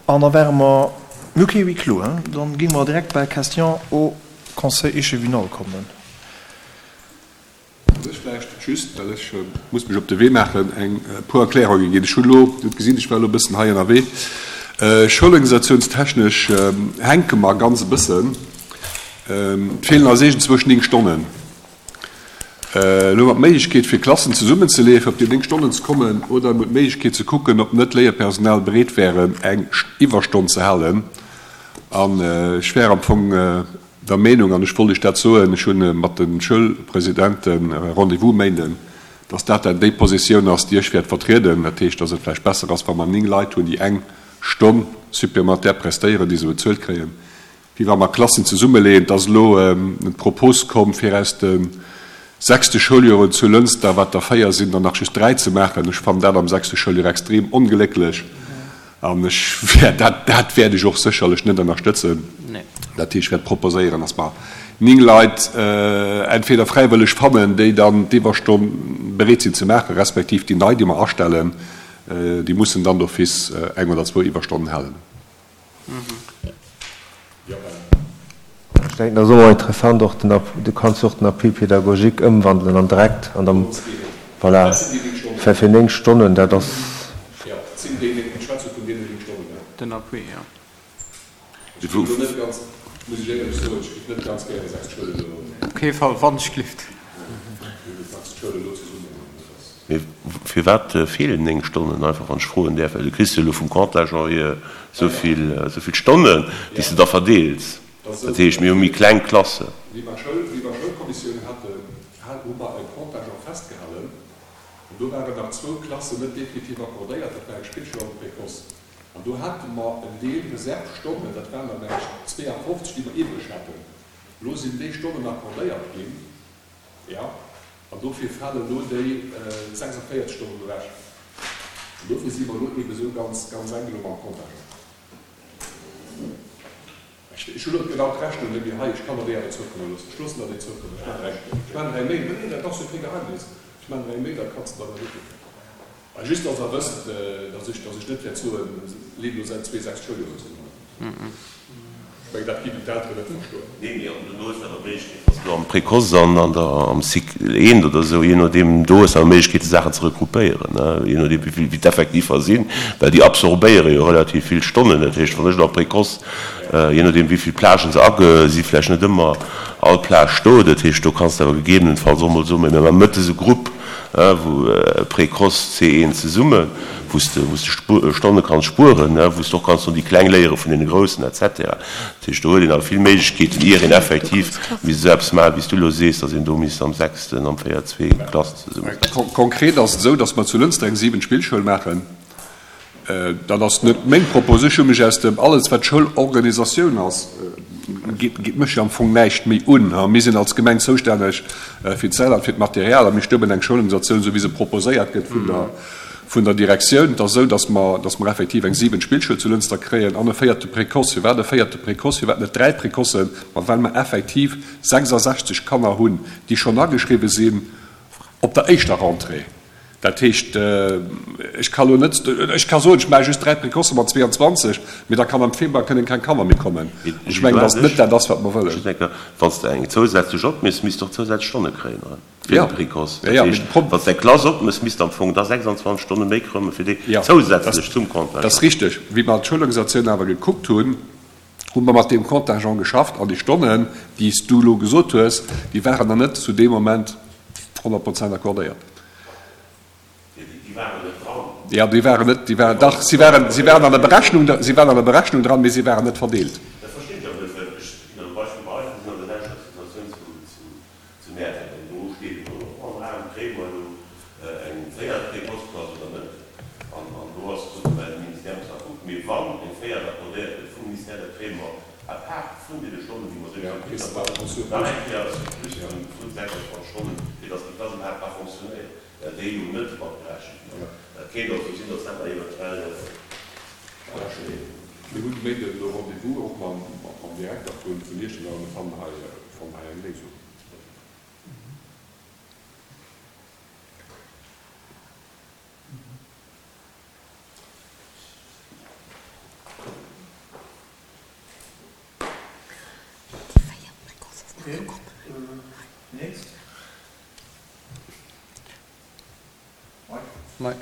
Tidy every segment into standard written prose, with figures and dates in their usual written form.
An da wäre mer, mir hu kee Huis clos, hein, dann géinge mer direkt bei Questions au Conseil échevinal kommen. Kann ech vläicht just, well ech muss mech op de Wee maachen, eng puer Erklärunge ginn. Ech hunn elo, Dir hutt gesinn, ech war elo e bëssen hei ënnerwee. Schoulorganisationstechnesch hänke mer ganz e bëssen. Et feelen eis iergendzwousch 9 Stonnen. Elo hu mer d'Méiglechkeet, fir Klassen zesummenzeleeën, fir op déi 9 Stonnen ze kommen, oder mir hunn d'Méiglechkeet ze kucken, ob net Léierpersonal bereet wären, eng Iwwerstonn ze halen. An ech wär am Fong der Meenung, an ech wollt Iech dat soen, ech hu mat de Schoulpresidente Rendez-vous Méinden, dass dat dann déi Positioun ass, déi ech wäert vertrieden. Dat heescht, dass et vläicht besser ass, wa mer 9 Leit hunn, déi eng Stonn supplémentaire prestéieren, déi se bezuelt kréien, wéi wa mer Klassen zesummeleeën. Et ass elo d'Propos komm, fir aus de sechste Schouljoren zu Lënster, wat der 4 sinn, der nach just 3 ze maachen. Ech fannen dat am sechste Schouljoer extrem onglécklech an ech wäert dat, dat wäert ech och sécherlech net ënnerstëtzen. Dat heescht, ech wäert proposéieren, dass mer 9 Leit entweder fräiwëlleg fannen, déi dann d'Iwwerstonn bereet sinn ze maachen, respektiv déi nei, déi mer astellen, déi mussen dann d'office eng oder zwou Iwwerstonnen halen. Ech denken, dat ass och interessant, och den, du kanns jo och den Appui pédagogique ëmwandelen an direkt an der, voilà, fir fir 9 Stonnen, dat ass. Den Appui, jo. Op kee Fall, wannechgelift. Mee firwat feelen 9 Stonnen einfach, wann ech froen däerf? Well du kriss jo elo vum Contingent hier esou vill, esou vill Stonnen, déi s de da verdeels. Dat heescht, mir hu méi kleng Klassen. Wéi mer d'Schoulkommissioun haten, hu mer e Contingent festgehalen. An do waren nach zwou Klassen net definitiv accordéiert, dat war eng Spillschoul an de Précoce. An do hate mer en Deel Reservestonnen, dat waren der mengen ech 52, déi mer iwwreg haten. Elo sinn déi Stonnen accordéiert ginn. Jo, an dofir falen elo déi 46 Stonnen ewech. An dofir si mer elo eebe esou ganz, ganz enk elo mam Contingent. Ech, ech hunn elo genau d'Rechnung net méi hei, ech kann der déi awer zoukomme loossen. Ech loossen der déi zoukommen. Ech maachen der eng, ech maachen der eng Mail. Mä nee, dat ass jo kee Geheimnis. Ech maachen der eng Mail, da kanns de der dat ukucken. A just, dass Der wësst, dass ech, dass ech net wäert soen, leet elo säit 2,6 Schouljoren zesummen. Ech mengen, dat géifen d'Elteren net verstoen. Nee, mee an do hues de awer d'Méiglechkeet, wann s du am Précoce an an der, am Cycle eent oder esou, jee nodeem, do hues de awer d'Méiglechkeet, déi Saachen ze regroupéieren, ne, jee nodeem, wéi vill, wéi d'Effektiver sinn, well déi absorbéiere jo relativ vill Stonnen. Dat heescht, wann ech elo am Précoce, jee nodeem, wéi vill Plagen se age, si vläicht net ëmmer all Plage do. Dat heescht, do kanns de awer gegebenenfalls och mol soen, mir maache mëttes e Grupp, wou Précoce C1 zesummen, wou s de wou s de Stonne kanns spueren, wou s de och kanns no déi Kleng léiere vun deene Groussen et cetera. Dat heescht, do huet een awer vill Méiglechkeeten, ier een effektiv misst esou eppes maachen, wéi s du elo sees, datt een do misst am sechsten, am 4, zwee Klassen zesummesetzen. Konkret ass et esou, datt mer zu Lënster eng siwent Spillschoul maachen. Dat ass net meng Propos. Ech hu mech aus dem, alles wat Schoulorganisatioun ass, geet mech jo am Fong näischt méi un. Mir sinn als Gemeng zoustänneg fir d'Säll an fir d'Material a mir stëmmen eng Schoulorganisatioun, esou wéi se proposéiert gëtt vun der, vun der Direktioun. Et ass esou, datt mer, datt mer effektiv eng siwent Spillschoul zu Lënster kréien an e véierte Précoce. Firwat e véierte Précoce, firwat net dräi Précocen? Ma well mer effektiv 66 Kanner hunn, déi schonn ageschriwwen sinn op der éischter Rentrée. Dat heescht, ech ka lo net, ech ka soen, ech maache just 3 Précocë mat 22, mee da kann am Februar kënnen keng Kanner méi kommen. Ech mengen, datt net dat ass, wat mer wëllen. Just eng Kéier, Wann s de eng zousätzlech opméchs, misst de och zousätzlech Stonne kréien, oder? Fir de Précoce. Dat heescht, wann s de eng Klass opméchs, misst de am Fong da 26 Stonne méi kréien, fir déi zousätzlech zum Contingent. Dat ass richteg. Wéi mer d'Schoulorganisatioun awer gekuckt hunn, hu mer mat deem Contingent geschafft an déi Stonnen, déi s du elo gesot hues, déi waren nach net zu deem Moment 100 Prozent accordéiert. Déi waren net dran. Jo, déi waren net, déi waren, dach, si waren, si waren an der Berechnung, si waren an der Berechnung dran, mee si waren net verdeelt. Dat verstinn ech awer net, well ech ginn der e Beispill, Bei eis, mir sinn an der selwechter Situatioun zu, zu Zu Näerden. An do steet elo och am Raum, Kréie mer elo eng véiert Précoce-Klass oder net? An do ass gesot ginn, well de Ministère muss nach kucken. Mee wann eng véiert accordéiert gëtt vum Ministère, da kréie mer à part vun deene Stonnen, déi mer souwisou kritt haben, nach eng Kéier e Surplus vun 26 Stonnen, fir datt déi Klass iwwerhaapt ka fonctionnéieren, well déi jo net matgerechent ginn ass. Dat kéint also sinn, datt dat nach eventuell. Mir hunn de Méinden elo Rendez-vous och mam Direkter vun Iechternach a mir fannen hei eng Léisung. Nächst. Mike.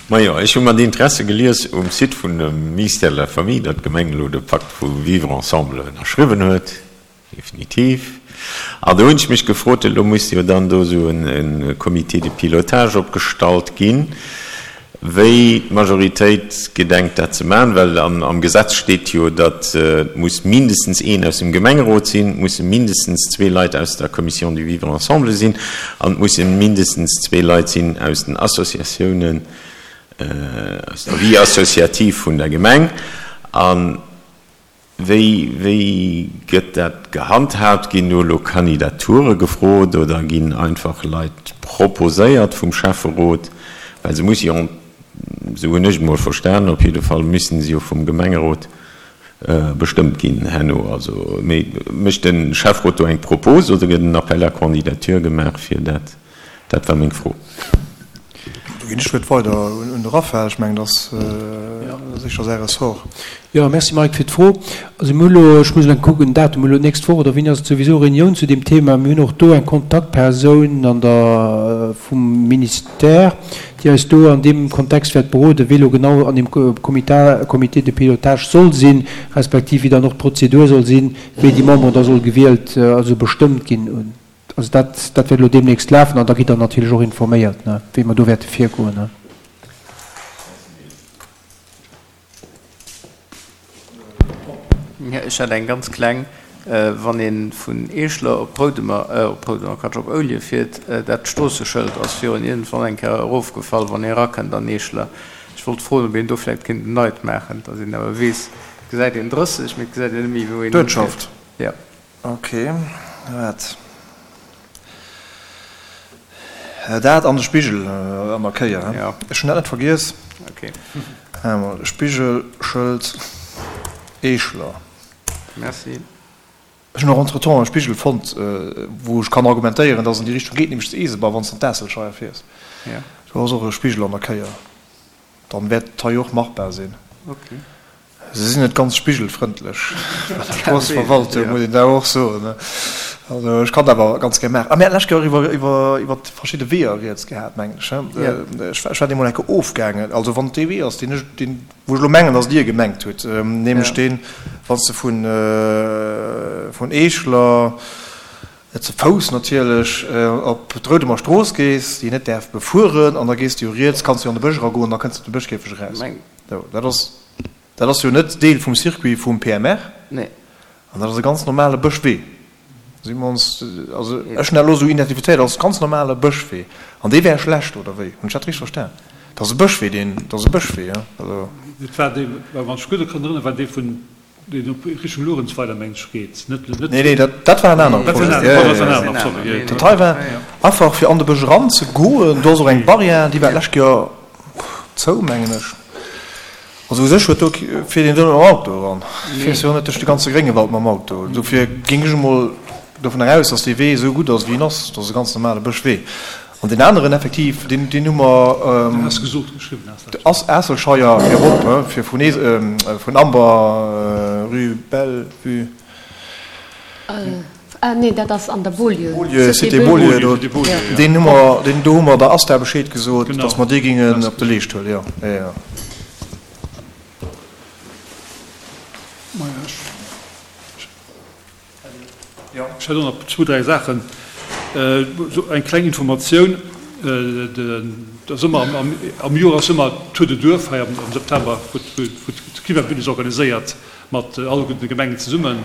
Majo, ech hu mat Interesse gelies um Site vun dem Ministère de la Famille, datt d'Gemeng elo de Pakt vu Vivre ensemble ënnerschriwwen huet. Definitiv. An do hunn ech mech gefrot, elo muss jo dann do esou e Comité de pilotage opgestallt ginn, wéi d'Majoritéit gedenkt dat ze maachen, well am Gesetz steet jo, datt et muss mindestens een aus dem Gemengerot sinn, et musse mindestens zwee Leit aus der Commission du vivre ensemble sinn an et musse mindestens zwee Leit sinn aus den Associatiounen, aus der Vie associative vun der Gemeng. An Wéi, wéi gëtt dat gehandhaabt? Ginn do elo Kandidature gefrot oder ginn einfach Leit proposéiert vum Schäfferot? Well se musse jo, esou hunn ech et mol verstanen, op jidde Fall müssen se jo vum Gemengerot bestëmmt ginn herno. Also, mee mécht de Schäfferot do eng Propos oder gëtt en Appel à candidature gemaach fir dat? Dat war meng Fro. Do ginn ech d'Wuert weider un de Raphaël. Ech mengen, dat ass sécher säi Ressort. Jo, merci Mike fir d'Fro. Also mir hu lo, ech muss elo kucken, den Datum, mir hu lo d'nächst Woch oder wéini ass et souwisou Reunioun zu deem Thema. Mir hunn och do eng Kontaktpersoun an der, vum Ministère, déi eis do an deem Kontext wäert beroden, wee lo genau an deem Comité, Comité de pilotage soll sinn, respektiv wéi dann och d'Prozedur soll sinn, wéi déi Memberen da soll gewielt, also bestëmmt ginn. Also dat, dat wäert elo deemnächst lafen an da gitt Der natierlech och informéiert, ne, wéi mer do wäerte virgoen, ne. Jo, ech hätt eng ganz kleng. Wann ee vun Eeschler op Roudemer, op Roudemer, Quatsch, op Oulje fiert, dat Stroosseschëld ass virun iergendwann eng Kéier erofgefall, wann ee erakënnt an Eeschler. Ech wollt froen, ob een do vläicht kéint en neit maachen, datt een awer weess, et gesäit een 30, mee et gesäit een net méi, wou een hifiert. D'Uertschaft. Jo. Ok, waart. Dat an de Spigel an der Kéier, he? Jo. Ech hunn dat net vergiess. Ok. Emol Spigelschëld Eeschler. Merci. Ech hunn och entretemps e Spigel fonnt, wou ech kann argumentéieren, dass en déi Richtung geet, nämlech zu Eeseber, wann s de an d'Aasselscheier fiers. Jo. Do ass och e Spigel an der Kéier. Dann wäert et hei och machbar sinn. Ok. Se sinn net ganz spigelfrëndlech bei der Stroossverwaltung, muss een da och soen. Also ech kann dat awer ganz gär maachen. A mir haten d'lescht Kéier och iwwer, iwwer, iwwer verschidde Weeër rieds gehat, mengen ech, he? Ech war, ech war deemol eng Kéier ofgaangen. Also wann et dee Wee ass, deen ech, deen, wou ech elo mengen, datt Dir gemengt hutt, nämlech deen, wann s de vun, vun Eeschler, ze Fouss natierlech, op d'Roudemer Strooss gees, déi een net däerf befueren, an da gees de jo riets, kanns de jo an de Bësch eragoen, da kënns de op de Bëschkäfeg eraus. Sou, dat ass, dat ass jo net Deel vum Circuit vum PMR. Nee. An dat ass e ganz normale Bëschwee. Si mer ons, also ech hunn dat elo esou identifizéiert als ganz normale Bëschwee. An dee wär schlecht, oder wéi? Hunn ech dat richteg verstan? Dat ass e Bëschwee, deen, dat ass e Bëschwee, jo. Also. Dat war dee, wann ech gutt kann erënneren, war dee vun Deen op Richtung Luerenzweiler mengt ech geet, net net. Nee, nee, dat, dat war en anere Projet. Ja, ja, ja. Sorry. Dat hei war einfach fir an de Bësch eran ze goen. Do ass och eng Barrière, déi war d'lescht Joer zou, mengen ech. Also u sech huet do, fiert een do net mam Auto eran. Fiers jo net duerch de ganze Gréngewald mam Auto. Dofir géing ech emol dovun eraus, datt dee Wee esou gutt ass, wéi en ass. Dat ass e ganz normale Bëschwee. An deen aneren effektiv, deen, deen hu mer, Has gesot, geschriwwen has dat. Ass Aasselscheier fir erop, he, fir vun Ees, vun Amber, rue Bellevue. Ah nee, dat ass an der Beaulieu. Beaulieu, Cité Beaulieu, do, deen hu mer, deen, do hu mer der ASTA Bescheed gesot, datt mer dee géingen op de Leescht huelen, jo, jo, jo. Ech hätt och nach zwou, dräi Saachen. Eng kleng Informatioun, Et ass ëmmer am Joer ass ëmmer Tour de Duerf hei am September, wou d'Klimabündnis organiséiert mat all de Gemengen zesummen.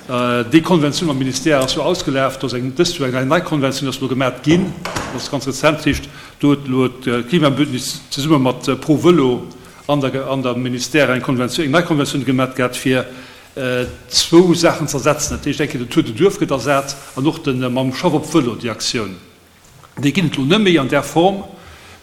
Déi Konventioun mam Ministère ass jo ausgelaf. Do ass eng dëst Joer eng nei Konventioun ass elo gemat ginn. Dat ass ganz rezent. Dat heescht, do huet elo d'Klimabündnis zesumme mat Pro Vëlo an der Ministère eng Konventioun, eng nei Konventioun gemat gehat, fir zwou Saachen z'ersetzen. Dat heescht, eng Kéier den Tour de Duerf gëtt ersat an och de mam Schaff op Vëlo, déi Aktioun. Déi ginn et elo net méi an där Form,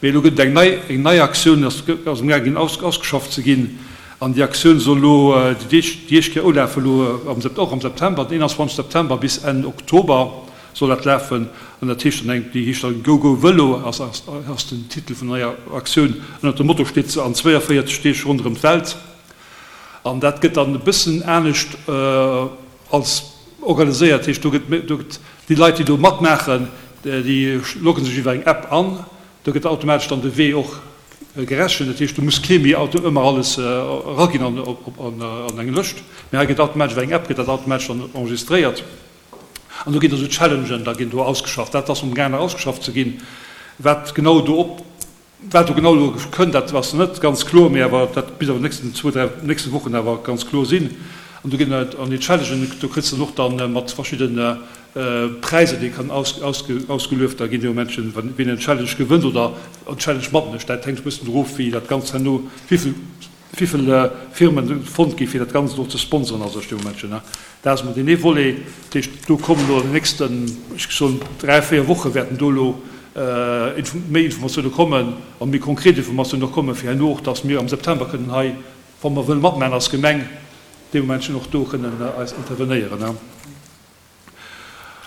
mee elo gëtt et eng nei, eng nei Aktioun ass ass amgaang ginn aus ausgeschafft ze ginn. An déi Aktioun soll elo déi éischt déi éischt Kéier ulafen elo am Sep och am September, den 21 September bis Enn Oktober soll dat lafen. An dat heescht dann eng, déi heescht dann Go Go Vëlo ass ass ass den Titel vun der neier Aktioun. Ënnert dem Motto steet se an 42 Deeg ronderëm d'Welt. An dat gëtt dann e bëssen anescht als. Organiséiert heescht, do gëtt, do gëtt déi Leit, déi do matmaachen, déi logge sech iwwer eng App an, do gëtt automatesch dann de Wee och gerechent. Dat heescht, do muss kee méi ëmmer alles eraginn an, an eng Lëscht, mee hei gëtt automatesch iwwer eng App gëtt dat automatesch dann enregistréiert. An do ginn da sou Challengen, da ginn do ausgeschafft. Dat ass amgaang nach ausgeschafft ze ginn, wat genau do op. Wat do genau elo kënnt, dat ass net ganz kloer, mee awer dat misst awer nächsten zwou, dräi, nächste Wochen awer ganz kloer sinn. An do ginn et an déi Challengen, do kritt s de dann och dann mat verschidde Präisser, déi kann ausgelueft da ginn dee Moment, wien en Challenge gewënnt oder en Challenge matmécht. Dat hänkt e bëssen doru of, wéi dat Ganzt herno, wéi vill, wéi vill Firmen fonnt gi fir dat Ganzt och ze sponsoren a sech dee Moment. Dat ass emol deen ee Volet. Dat heescht, do kommen elo an den nächsten, ech géif soen, dräi, véier Woche wäerten do elo méi Informatioune kommen a méi konkret Informatiounen och kommen, fir herno och, datt mir am September kënnen hei, wa mer wëlle matmaachen als Gemeng, dee Momentchen och do kënnen eis intervenéieren.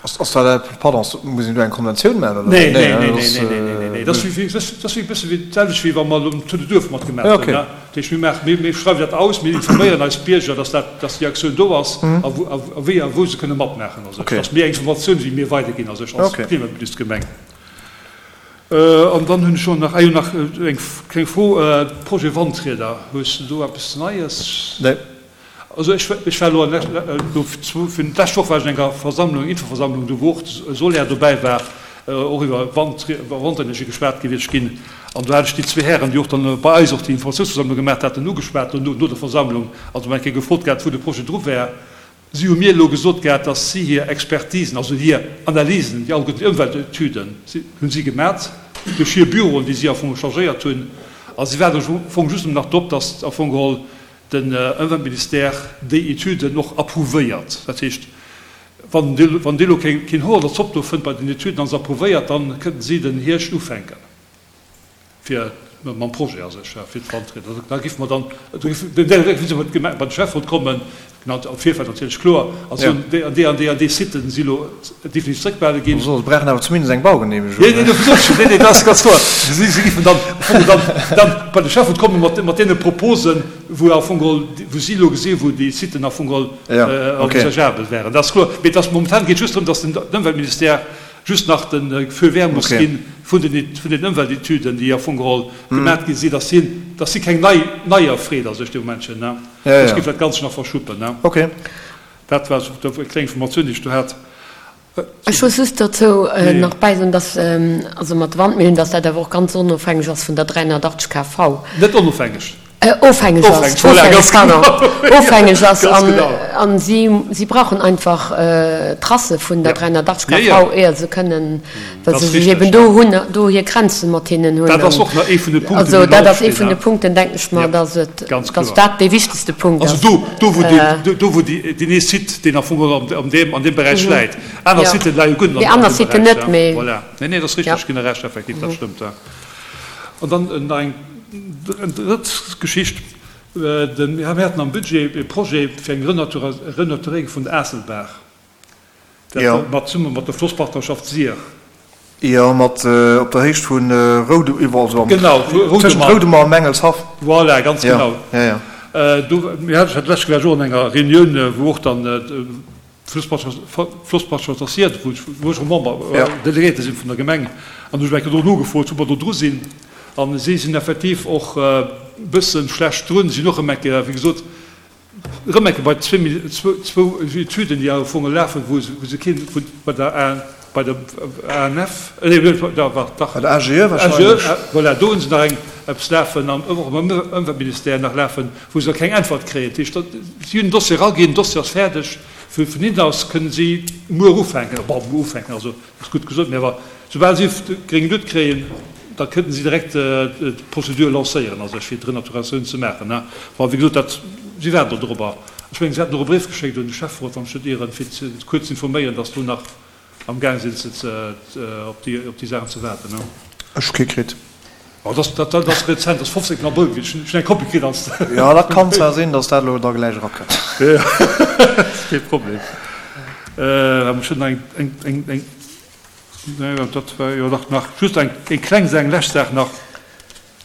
Ass dat, pardon, muss een do eng Konventioun maachen oder? Nee, nee, nee, nee, nee, nee, nee, nee. Dat ass wéi, dat ass wéi e bësse wéi d'selwecht wéi wa mer elo um Tour de Duerf matgemaach hunn. Dat heescht, mir maachen, mir, mir schreiwen dat aus, mir informéieren eis Bierger, dass dat, dass déi Aktioun do ass a wou, a wéi a wou se kënne matmaachen a sech. Dass mir eng Informatioun, déi mir weiderginn a sech als Klimabündnisgemeng. An dann hunn ech och nach, ah jo, nach eng kleng Fro, Projet Wandrieder, hues de do eppes Neies? Nee. Also ech, ech war elo an elo fir d'lescht Woch war ech an enger Versammlung, Infoversammlung, do wou och Soler dobäi war, och iwwer Wand, Wandenergie geschwat gewiescht ginn. An do hat ech déi zwee Hären, déi och dann bei eis och déi Informatiounsversammlung gemaach haten, ugeschwat dono, no der Versammlung, also mol eng Kéier gefrot gehat, wou de Projet dru wär. Si hu mir elo gesot gehat, datt si hir Expertisen, also hir Analysen, déi alleguerten déi Ëmweltetüden, hunn si gemat duerch hir Büroen, déi si am Fong chargéiert hunn. A si waarden am Fong just nach drop, datt am Fong geholl den Ëmweltministère déi Etüden och approuvéiert. Dat heescht, wann dee elo keen Hoer an der Zopp do fënnt bei den Etüden a se approuvéiert, da kënnten si den Hierscht ufänken fir mam Projet a sech, fir d'Wandrieder. Da géife mer dann, da géife se bei de Schäfferot kommen, genau, am Virfeld natierlech, kloer, a soen, déi an déi an déi an déi Siten si elo definitiv zréckbehale ginn. Se brauchen awer zumindest eng Baugeneemegung. Nee, nee, dofir sot ech jo, nee, nee, dat ass ganz kloer. Si géifen dann am Fong dann, dann bei de Schäfferot komme mat, mat deene Proposen, wou am Fong geholl, wou si elo gesinn, wou déi Siten am Fong geholl envisageabel wären. Dat ass kloer. Mee et ass momentan geet just drëm, datt den Ëmweltministère just nach de Feu vert muss gi vun den, vun den Ëmweltetüden, déi am Fong geholl gemat gi sinn, datt hien, datt si keng nei, neier freet a sech dee Momentchen, ne? Soss géif dat Ganzt nach verschuppen, ne? Dat war esou eng kleng Informatioun, déi ech do hat. Ech muss just dozou nach bäisoen, dass, also mat de Wandmillen, dass dat awer och ganz onofhängeg ass vun der 380 KV. Net onofhängeg. Ofhängeg ass, Voilà, ganz pardon, genau. ofhängeg ass. Ganz An, genau. an si, si brauchen einfach Tracë vun der Ja. 380 Ja, ja. KV, éier se kënnen, well Dat se ass sech richtig, eben ja. do hunn, do hir Grenzen mat hinnen hunn. Dat ass och nach ee vun de Punkten, Also déi dat nach ass ee opstinn, vun de ja. Punkten, denken ech mer, Ja, dass et, ganz dass kloer. dat dee wichtegste Punkt Also ass. do, do wou deen, do wou déi, deen ee Site, deen am Fong geholl an, an deem, an deem Beräich läit. Aner Ja. Siten leie guer net Déi an aner deem Siten Beräich, net, ja. mee. Voilà. Nee, nee, dat ass Ja. richtig, ginn der Recht, effektiv, dat stëmmt, ja. An dann nach eng drëtt Geschicht, Mir haten am Budget e Projet fir eng Renaturéierung vun der Aasselbaach, dat mat zesumme mat der Flosspartnerschaft Sir. Jo, mat op der Héicht vu tëschent Roudemer a Mengelshaff. Voilà, ganz genau. Do, mir haten, ech hat d'lescht Kéier och an enger Reunioun, wou och dann D'Flosspartnerschaft ass hier, wou ech och Member, Delegéierte sinn vun der Gemeng, an hu ech eng Kéier do nogefrot, wou mer do dru sinn. A si sinn effektiv och e bësse schlecht drun. Si sinn och erëm eng Kéier, wéi gesot, erëm eng Kéier bei zwou Etüden, déi am Fong lafen, wou se keen, wou bei der A, bei der ANF, nee, dach, Bei der AGE wahrscheinlech. AGE, voilà, do hu se nach eng eppes lafen an och am Ëmweltministère nach lafen, wou se nach keng Äntwert kréien. Dat heescht, si hunn den Dossier eraginn, den Dossier ass fäerdeg, vun hinnen aus kënnen si muer ufänken, bon, muer ufänken, also dat ass gutt gesot, mä awer soubal si gréng Luut kréien, da kënnten si direkt d'Prozedur lancéieren a sech fir d'Renaturatioun ze maachen. Bon, wéi gesot, dat, si waarden do dorobber. Ech mengen, si haten och e Bréif geschéckt un de Schäfferot, wann ech net ieren, fir kuerz ze informéieren, datt do nach Am gaang sinn ze op déi op déi Saachen ze waarden. Ech hu kee kritt. Oh, dat dat dat ass rezent, dat ass 15 Abrëll gewiescht. Ech hunn eng Kopie kritt als. Jo, dat kann zwar sinn, datt dat elo da gläich erakënnt. Jo, dat ass kee Problem. Ech hunn nach eng eng eng eng, nee, dat war jo dach nach just eng eng kleng Saach, eng lescht Saach nach.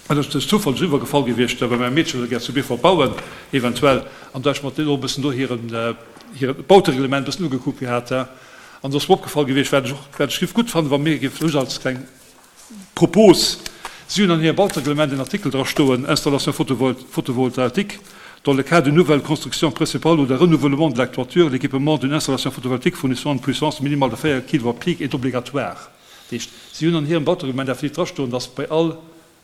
Dat ass duerch Zoufall eriwwer gefall gewiescht, well mäi Meedche wëll gär zu Beefort bauen, eventuell, an do hat ech mer och e bëssen do hiren, hiren Bautereglement e bëssen ugekuckt gehat. An do ass mer opgefall gewiescht, wat ech och, wat ech géif gutt fannen, wa mir géifen, just als kleng Propos, si hunn an hirem Bautereglement en Artikel dra stoen, Installation photovoltaïque, dans le cas d'une nouvelle construction principale ou d'un renouvellement de la toiture, l'équipement d'une installation photovoltaïque fournissant une puissance minimale de 4 kilowatt pic est obligatoire. Dat heescht, si hunn an hirem Bautereglement effektiv drastoen, dass bei all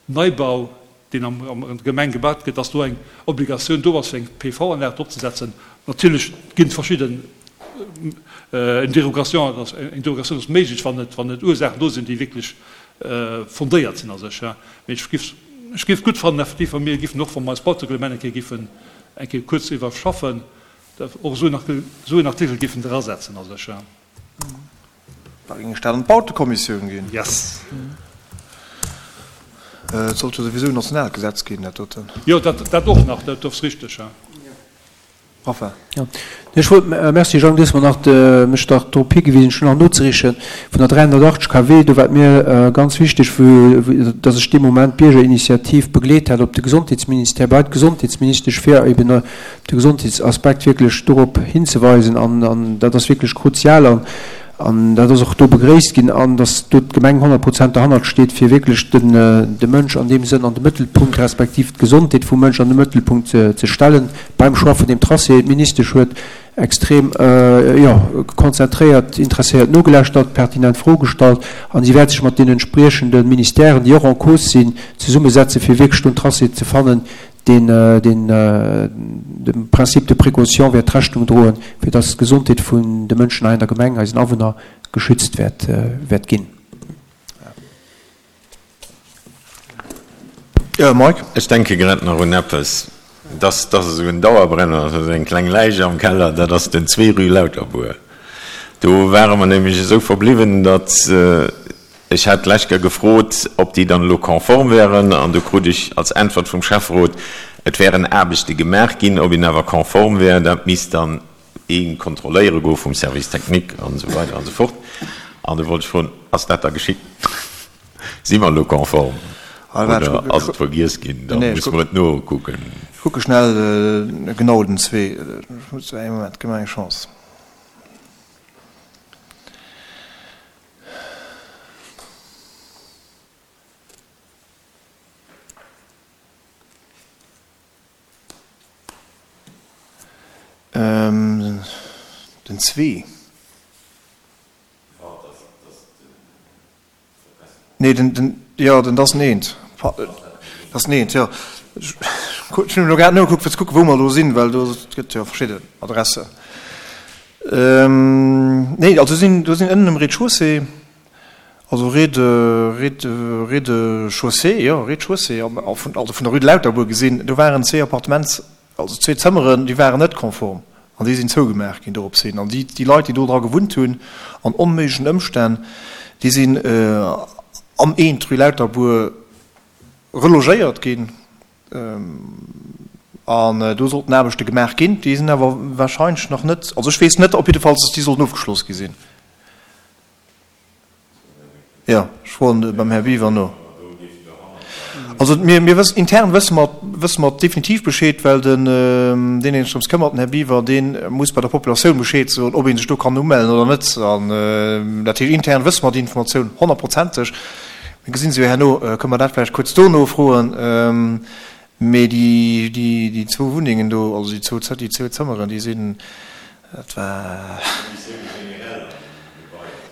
Neibau, deen an der Gemeng gebaut gëtt, dass do eng Obligatioun do ass, fir eng PV-Anlag drop ze setzen. Natierlech ginn et verschidden, eng Dérogation, eng Dérogation ass méiglech, wann et, wann et Ursaachen do sinn, déi wierklech fondéiert sinn a sech. Mee ech géif, ech géif gutt fannen effektiv, wa mir géifen och, wa mer eist Bautereglement eng Kéier géifen eng Kéier kuerz iwwerschaffen, och esou en Artikel géifen drasetzen a sech. Da géing ech dat an d'Bautekommissioun ginn. Yes. Et sollt jo souwisou en nationaalt Gesetz ginn, dat doten. Jo, dat, dat och nach, dat ass richteg, ja. Enfin. Jo, ech wollt, merci Jang, du hues mer nach de, mech dach drop higewisen, ech hunn nach nozereeche vun der 380 KW, do war et mir ganz wichteg, vu dass ech dee Moment d'Biergerinitiativ begleet hat op de Gesondheetsministère, bei d'Gesondheetsministesch, fir eben de Gesondheetsaspekt wierklech dorop hinzeweisen an dat ass wierklech kruzial an an dat ass och do begréisst ginn an dass do d'Gemeng 100 Prozent derhannert steet, fir wierklech den de Mënsch an deem Sënn an de Mëttelpunkt respektiv d'Gesondheet vum Mënsch an de Mëttelpunkt ze stellen beim Choix vun deem Tracé. D'Ministesch huet extrem, jo, konzentréiert, interesséiert nogelauschtert, pertinent Froe gestallt an si wäert sech mat deenen entspriechende Ministèren, déi och en cause sinn, zesummesetzen, fir wierklech do en Tracé ze fannen, deen dem Principe de précaution wäert Rechnung droen, fir dass d'Gesondheet vun de Mënschen hei an der Gemeng, eisen Awunner, geschützt wäert ginn. Jo, Mike? Ech denke grad nach un eppes, dass dass esou en Dauerbrenner ass, also eng kleng Läich am Keller, dat ass den 2 rue Lauterbour. Do ware mer nämlech esou verbliwwen, datt Ech hat d'lescht Kéier gefrot, ob déi dann elo konform wären, an du krut ech als Äntwert vum Schäfferot, et wären Aarbechte gemaach ginn, ob een awer konform wär, dat misst dann ee kontrolléiere goe vum Service technique an esou weider an esou fort. An du wollt ech froen, Ass dat da geschitt? Si mer elo konform oder ass et vergiess ginn? Da musse mer et nokucken. Ech kucke schnell genau den zwee. Ee Moment, gëff mer eng Chance. Den zwee. Nee, den, den, jo, den, dat ass den eent. Dat ass den eent, jo. Ech hunn elo grad nogekuckt, fir ze kucken, wou mer elo sinn, well do gëtt jo verschidden Adressen. Nee, also sinn, do sinn ënnen um Rez-de-chaussée, also Rez de, Rez de, Rez-de-chaussée, jo, Rez-de-chaussée, also vun der Rue de Lauterbourg gesinn, do waren zwee Appartements, also zwee Zëmmeren, déi waren net konform an déi sinn zougemaach ginn dorops hin. An déi, déi Leit, déi do dra gewunnt hunn, an onméiglechen Ëmstänn, déi sinn am eent Rue Lauterbourg relogéiert ginn. An do sollten Aarbechte gemaach ginn. Déi sinn awer wahrscheinlech nach net, also ech weess net op jiddefalls, datt déi sollten ofgeschloss gi sinn. Jo, ech froen beim Här Biwer no. Also mir, mir wëssen, intern wësse mer, wësse mer definitiv Bescheed, well den, deen, deen sech drëms këmmert, den Här Biwer, dee muss bei der Populatioun Bescheed soen, ob ee sech do kann umellen oder net. An dat heescht, intern wësse mer déi Informatioun honnertprozenteg. Mir gesinn se jo herno, kënne mer dat vläicht kuerz dono froen. Mee déi, déi, déi zwou Wunnengen do, also déi zwou, déi zwou Zëmmeren, déi sinn, dat war.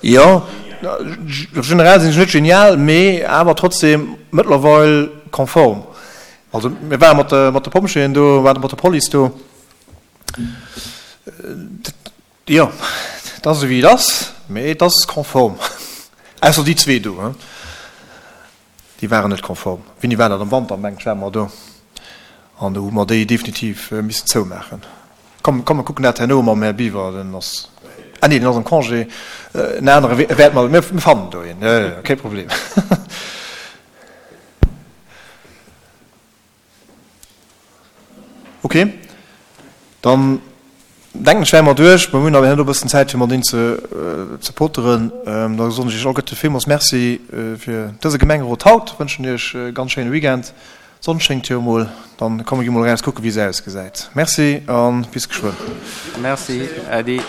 Jo, generell sinn ech net genial, mee awer trotzdem mëttlerweil konform. Also mir ware mat de, mat de Pompjeeën do, ware mat der Police do. Jo, et ass esou wéi et ass, mee et ass konform. Ausser déi zwee do, déi waren net konform. Wéini war dat? Am Wanter, mengt ech, ware mer do. An do hu mer déi definitiv missen zoumaachen. Komm, komm mer kucken dat herno mam Här Biwer, den ass, ah nee, den ass am Congé. En anere wäert mer, mir fannen do een, jo, jo, kee Problem. Ok, dann. Denken ech wäre mer duerch. Mer hunn awer herno e bëssen Zäit fir mat een ze ze poteren. Da soen ech iech alleguerte villmools Merci fir dëse Gemengerot haut, wënschen iech e ganz schéine Weekend. D'Sonn schéngt jo emol, dann komm mir gi mol eraus kucken wéi se ausgesäit. Merci a bis geschwënn. Merci, Äddi.